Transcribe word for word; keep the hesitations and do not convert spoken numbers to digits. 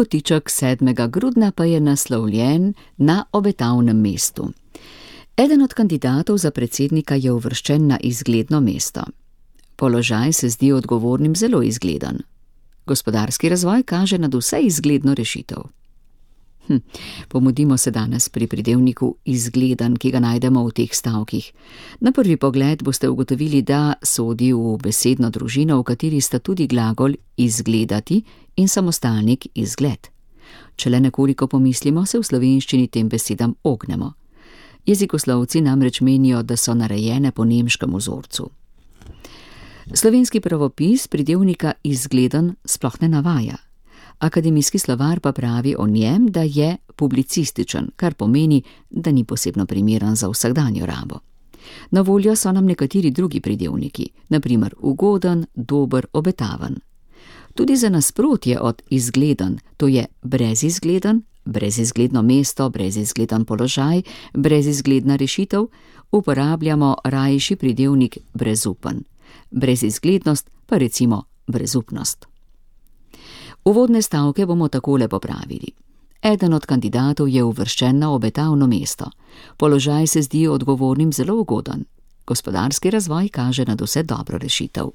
Kotiček sedmega grudna pa je naslovljen Na obetavnem mestu. Eden od kandidatov za predsednika je uvrščen na izgledno mesto. Položaj se zdi odgovornim zelo izgleden. Gospodarski razvoj kaže nadvse izgledno rešitev. Hm, pomudimo se danes pri pridevniku izgleden, ki ga najdemo v teh stavkih. Na prvi pogled boste ugotovili, da sodi v besedno družino, v kateri sta tudi glagol izgledati in samostalnik izgled. Če le nekoliko pomislimo, se v slovenščini tem besedam ognemo. Jezikoslovci namreč menijo, da so narejene po nemškem vzorcu. Slovenski pravopis pridevnika izgleden sploh ne navaja. Akademijski slovar pa pravi o njem, da je publicističen, kar pomeni, da ni posebno primeren za vsakdanjo rabo. Na voljo so nam nekateri drugi pridevniki, na primer ugoden, dober, obetaven. Tudi za nasprotje od izgleden, to je brezizgleden, brezizgledno mesto, brezizgleden položaj, brezizgledna rešitev, uporabljamo rajši pridevnik brezupen. Brezizglednost pa recimo brezupnost. Uvodne stavke bomo takole popravili. Eden od kandidatov je uvrščen na obetavno mesto. Položaj se zdi odgovornim zelo ugoden. Gospodarski razvoj kaže nadvse dobro rešitev.